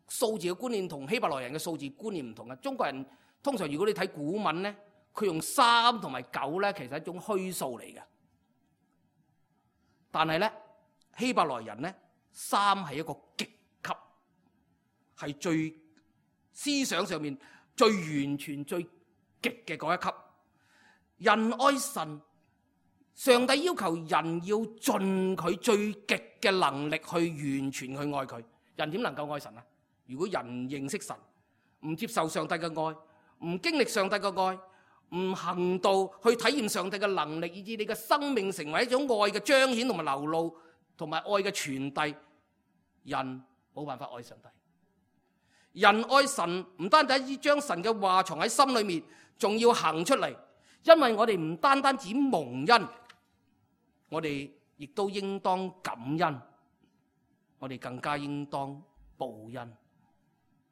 數字嘅觀念同希伯來人嘅數字觀念唔同嘅。中國人通常如果你睇古文呢，佢用三同埋九呢，其實係一種虛數嚟嘅。但係呢，希伯來人呢，三係一個極級，係最思想上面最完全、最極嘅嗰一級。人愛神。上帝要求人要盡佢最極嘅能力去完全去愛佢。人點能夠愛神啊？如果人認識神，唔接受上帝嘅愛，唔經歷上帝嘅愛，唔行道去體驗上帝嘅能力，以致你嘅生命成為一種愛嘅彰顯同埋流露，同埋愛嘅傳遞，人冇辦法愛上帝。人愛神唔單單只將神嘅話藏喺心裏面，仲要行出嚟，因為我哋唔單單只蒙恩。我哋亦都應當感恩，我哋更加應當報恩。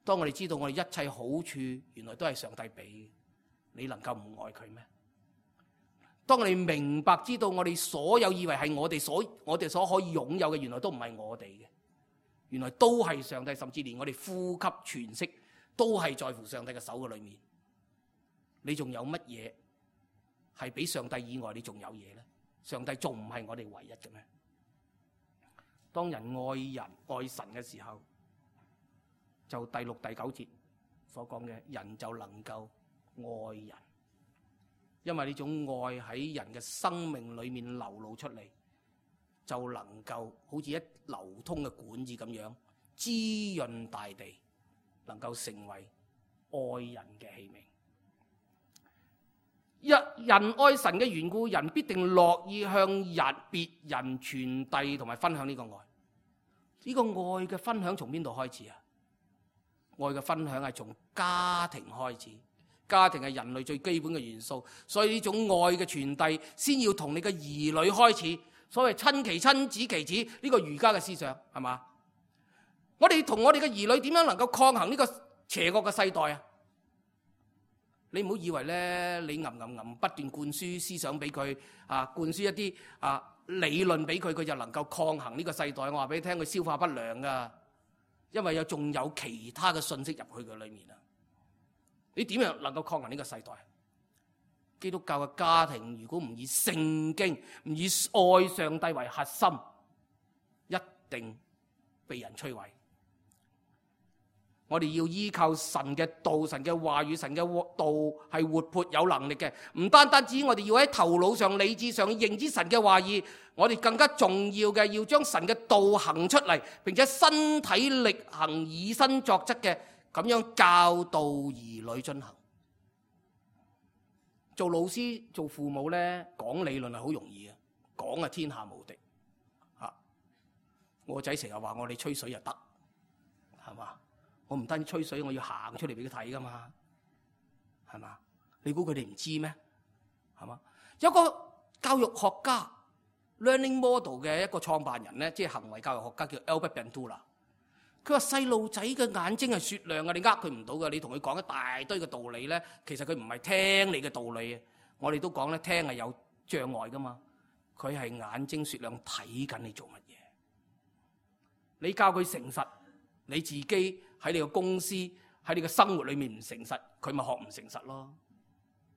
當我哋知道我哋一切好處原來都係上帝俾嘅，你能夠唔愛佢咩？當我哋明白知道我哋所有以為係我哋所我哋所可以擁有嘅，原來都唔係我哋嘅，原來都係上帝，甚至連我哋呼吸喘息都係在乎上帝嘅手嘅裏面。你仲有乜嘢係比上帝以外你仲有嘢咧？上帝仲唔係我哋唯一嘅咩？當人愛人愛神嘅時候，就第六第九節所講嘅，人就能夠愛人，因為呢種愛喺人嘅生命裏面流露出嚟，就能夠好似一流通嘅管子咁樣滋潤大地，能夠成為愛人嘅器皿。一人愛神嘅緣故，人必定樂意向人別人傳遞同埋分享呢個愛。呢個愛嘅分享從邊度開始啊？愛嘅分享係從家庭開始，家庭係人類最基本嘅元素，所以呢種愛嘅傳遞先要同你嘅兒女開始。所謂親其親，子其子，呢個儒家嘅思想係嘛？我哋同我哋嘅兒女點樣能夠抗衡呢個邪惡嘅世代啊？你唔好以為咧，你吟吟吟不斷灌輸思想俾佢啊，灌輸一啲啊理論俾佢，佢就能夠抗衡呢個世代。我話俾你聽，佢消化不良噶，因為有仲有其他嘅信息入去佢裏面啊。你點樣能夠抗衡呢個世代？基督教嘅家庭如果唔以聖經、唔以愛上帝為核心，一定被人摧毀。我哋要依靠神嘅道、神嘅話語、神嘅道係活潑有能力嘅，唔單單止我哋要喺頭腦上、理智上認知神嘅話語，我哋更加重要嘅要將神嘅道行出嚟，並且身體力行、以身作則嘅咁樣教導兒女進行。做老師、做父母咧，講理論係好容易嘅，講係天下無敵。吓，我個仔成日話我哋吹水就得，係嘛？我唔單止吹水，我要行出嚟俾佢睇噶嘛，係嘛？你估佢哋唔知咩？係嘛？有個教育學家 Learning Model 嘅一個創辦人咧，即係行為教育學家叫 Albert Bandura。佢話細路仔嘅眼睛係雪亮嘅，你呃佢唔到嘅。你同佢講一大堆嘅道理咧，其實佢唔係聽你嘅道理。我哋都講咧，聽係有障礙噶嘛。佢係眼睛雪亮，睇緊你做乜嘢。你教佢誠實，你自己喺你個公司喺你個生活裏面唔誠實，佢咪學唔誠實咯，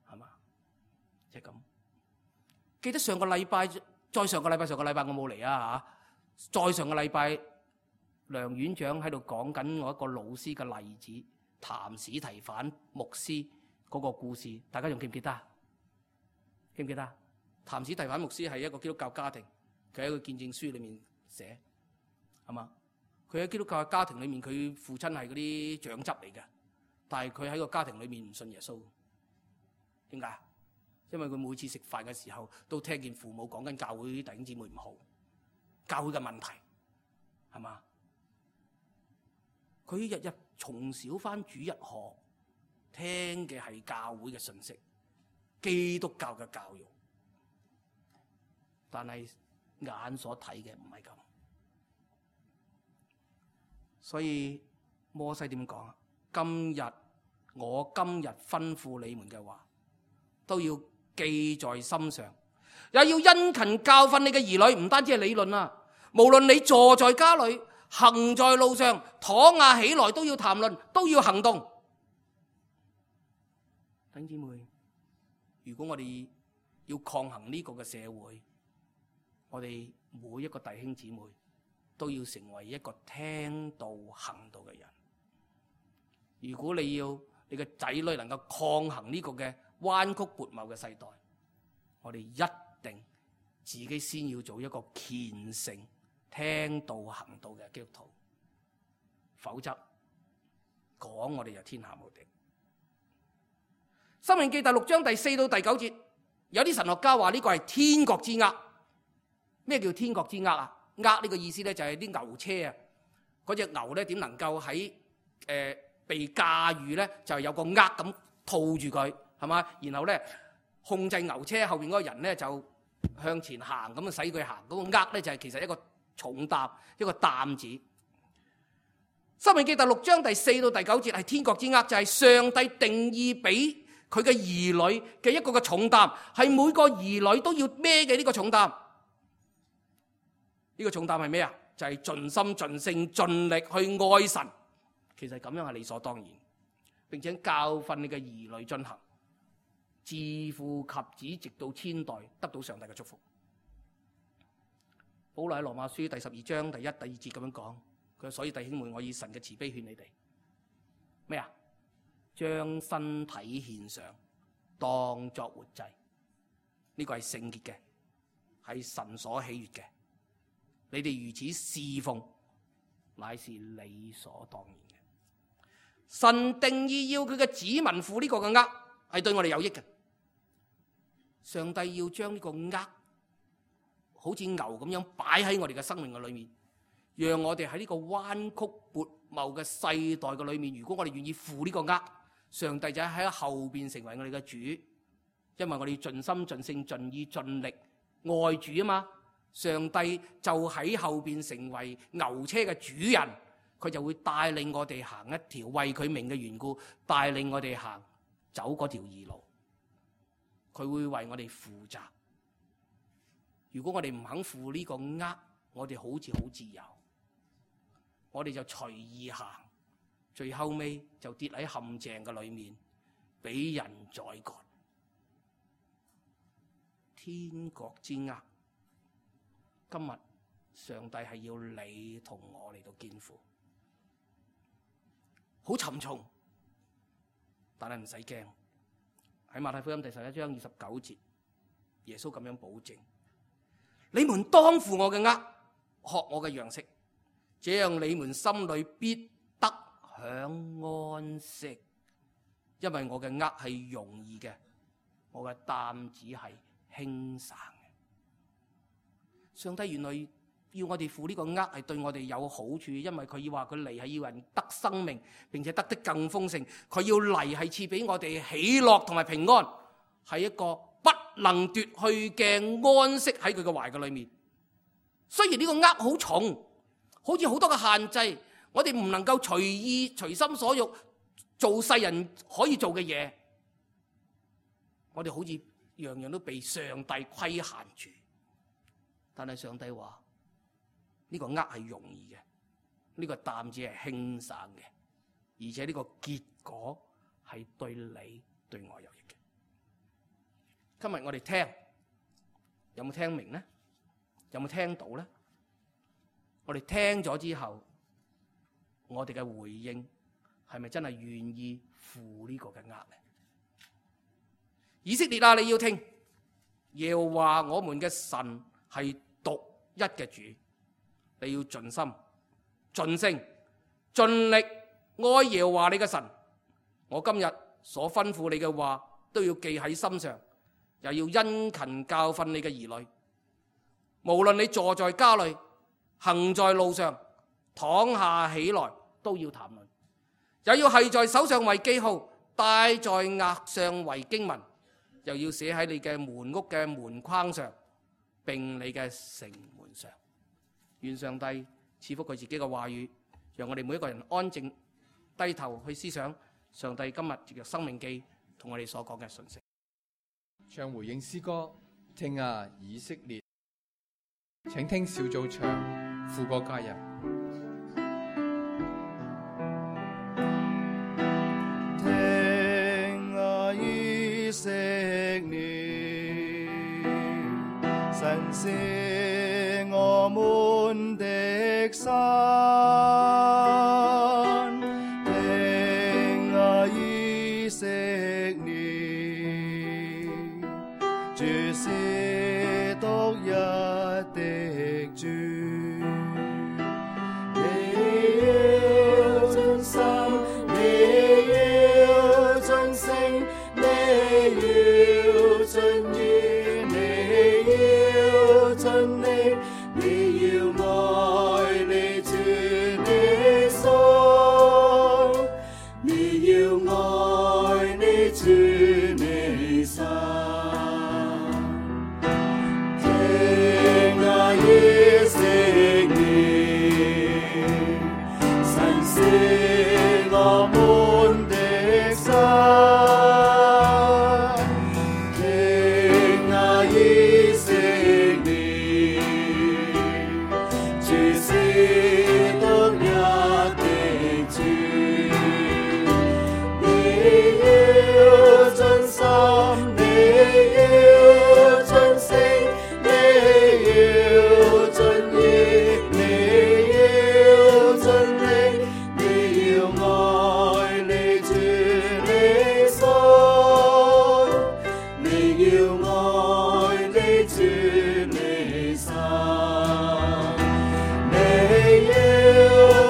係嘛？即係咁。記得上個禮拜，再上個禮拜，上個禮拜我冇嚟啊嚇。再上個禮拜，梁院長喺度講緊我一個老師嘅例子，譚史提反牧師嗰個故事，大家仲記唔記得？記唔記得？譚史提反牧師係一個基督教家庭，佢喺個見證書裏面寫係嘛？佢喺基督教嘅家庭裏面，佢父親係嗰啲長執嚟嘅，但係佢喺個家庭裏面唔信耶穌。點解？因為佢每次食飯嘅時候，都聽見父母講緊教會弟兄姊妹唔好，教會嘅問題，係嘛？佢日日從小返主日學，聽嘅係教會嘅信息，基督教嘅教育，但係眼所睇嘅唔係咁。所以摩西點講啊？今日我今日吩咐你們嘅話，都要記在心上，也要殷勤教訓你嘅兒女。唔單止係理論啊，無論你坐在家裏，行在路上，躺下起來，都要談論，都要行動。弟兄姊妹，如果我哋要抗衡呢個嘅社會，我哋每一個弟兄姊妹都要成為一個聽道行道嘅人。如果你要你嘅仔女能夠抗衡呢個嘅彎曲悖謬嘅世代，我哋一定自己先要做一個虔誠聽道行道嘅基督徒，否則講我哋就天下無敵。申命記第六章第四到第九節，有啲神學家話呢個係天國之軛。咩叫天國之軛啊？軛呢個意思咧就係啲牛車啊，嗰隻牛咧點能夠喺誒、呃、被駕馭咧，就係有個軛咁套住佢，係嘛？然後咧控制牛車後邊嗰個人咧就向前行，咁啊使佢行。嗰、那個軛咧就係其實一個重擔，一個擔子。申命記第六章第四到第九節係天國之軛，就係、是、上帝定義俾佢嘅兒女嘅一個嘅重擔，係每個兒女都要孭嘅呢個重擔。呢、這個重擔係咩啊？就係、是、盡心盡性盡力去愛神。其實咁樣係理所當然，並且教訓你嘅兒女進行，自父及子，直到千代，得到上帝嘅祝福。保羅喺羅馬書第十二章第一、第二節咁樣講，佢話：所以弟兄們，我以神嘅慈悲勸你哋咩啊？將身體獻上，當作活祭，呢、這個係聖潔嘅，係神所喜悅嘅。你哋如此侍奉，乃是理所當然嘅。神定義要佢嘅子民負呢個嘅軛，係對我哋有益嘅。上帝要將呢個軛好似牛咁樣擺喺我哋嘅生命嘅裏面，讓我哋喺呢個彎曲悖謬嘅世代嘅裏面，如果我哋願意負呢個軛，上帝就喺後邊成為我哋嘅主，因為我哋要盡心盡性盡意盡力愛主啊嘛。上帝就喺後邊成為牛車嘅主人，佢就會帶領我哋行一條為佢名嘅緣故，帶領我哋行走嗰條義路。佢會為我哋負責。如果我哋唔肯負呢個軛，我哋好似好自由，我哋就隨意行，最後尾就跌喺陷阱嘅裏面，俾人宰割。天國之軛，今日上帝係要你同我嚟到肩負，好沉重，但係唔使驚。喺馬太福音第十一章二十九節，耶穌咁樣保證：你們當負我嘅軛，學我嘅樣式，這樣你們心裏必得享安息。因為我嘅軛係容易嘅，我嘅擔子係輕省嘅。上帝原來要我哋負呢個軛係對我哋有好處，因為佢要話佢嚟係要人得生命，並且得的更豐盛。佢要嚟係賜俾我哋喜樂同埋平安，係一個不能奪去嘅安息喺佢嘅懷嘅裏面。雖然呢個軛好重，好似好多嘅限制，我哋唔能夠隨意隨心所欲做世人可以做嘅嘢，我哋好似樣樣都被上帝規限住。但係上帝話呢個軛係容易嘅，呢個擔子係輕省嘅，而且呢個結果係對你對我有益嘅。今日我哋聽有冇聽明呢？有冇聽到呢？我哋聽咗之後，我哋嘅回應係咪真係願意負呢個嘅軛呢？以色列啊，你要聽，耶和華我們嘅神係獨一嘅主，你要盡心、盡性、盡力愛耶和華你嘅神。我今日所吩咐你嘅話都要記喺心上，又要殷勤教訓你嘅兒女。無論你坐在家裏、行在路上、躺下起來，都要談論，也要繫在手上為記號，戴在額上為經文，又要寫喺你嘅門屋嘅門框上，並你嘅城門上。願上帝賜福佢自己嘅話語，讓我哋每一個人安靜低頭去思想上帝今日藉着生命記同我哋所講嘅信息。唱回應詩歌，聽啊以色列，請聽小組唱副歌加入。聽啊以色列，神是我們的山。聽啊以色列，主是獨一的主。你要盡心，你要盡性，你要盡意，你要盡力，你要愛你主你心，你要愛你主你心。聽啊以色列，神是我們的山。聽啊以色列，主是獨一的主。你要盡心，你要盡性，你要盡意，你要盡力，你要愛你主你心，你要愛你主你心。你要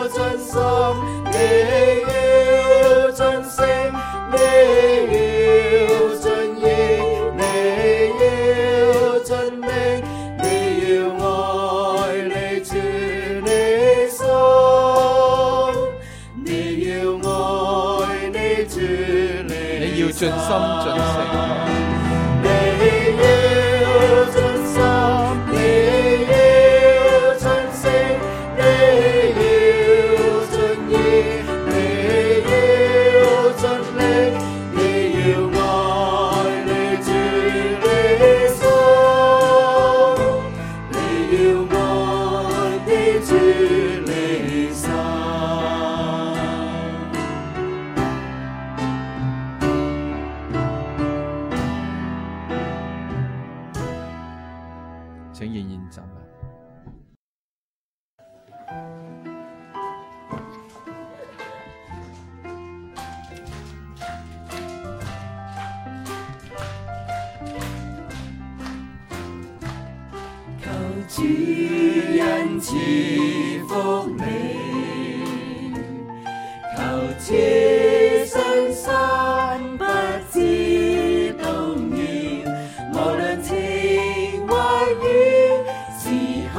盡心，你要盡性，你要盡意，你要盡力，你要愛你主你心，你要愛你主你你要盡心盡性。你要盡心，你要盡性，你要盡意，你要盡力，你要愛你主你心，你要愛你主你心。請仍然站立。求主恩賜福你，求此生山不致動搖，無論情或雨，時刻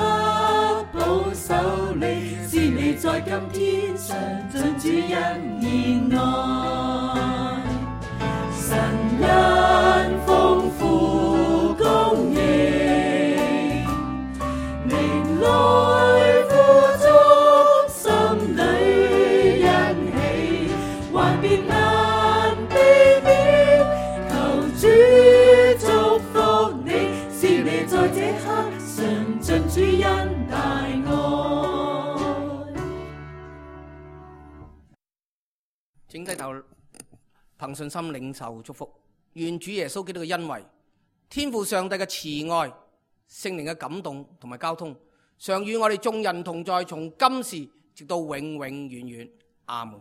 保守你，使你在今天常盡主恩憐愛。神恩豐富供應，靈來富足，心裏欣喜，還別難避免。求主祝福你，使你在這刻常盡主恩大愛。請低頭，憑信心領受祝福。願主耶穌基督嘅恩惠、天父上帝嘅慈愛、聖靈嘅感動同埋交通，常與我哋眾人同在，從今時直到永永遠遠。阿門。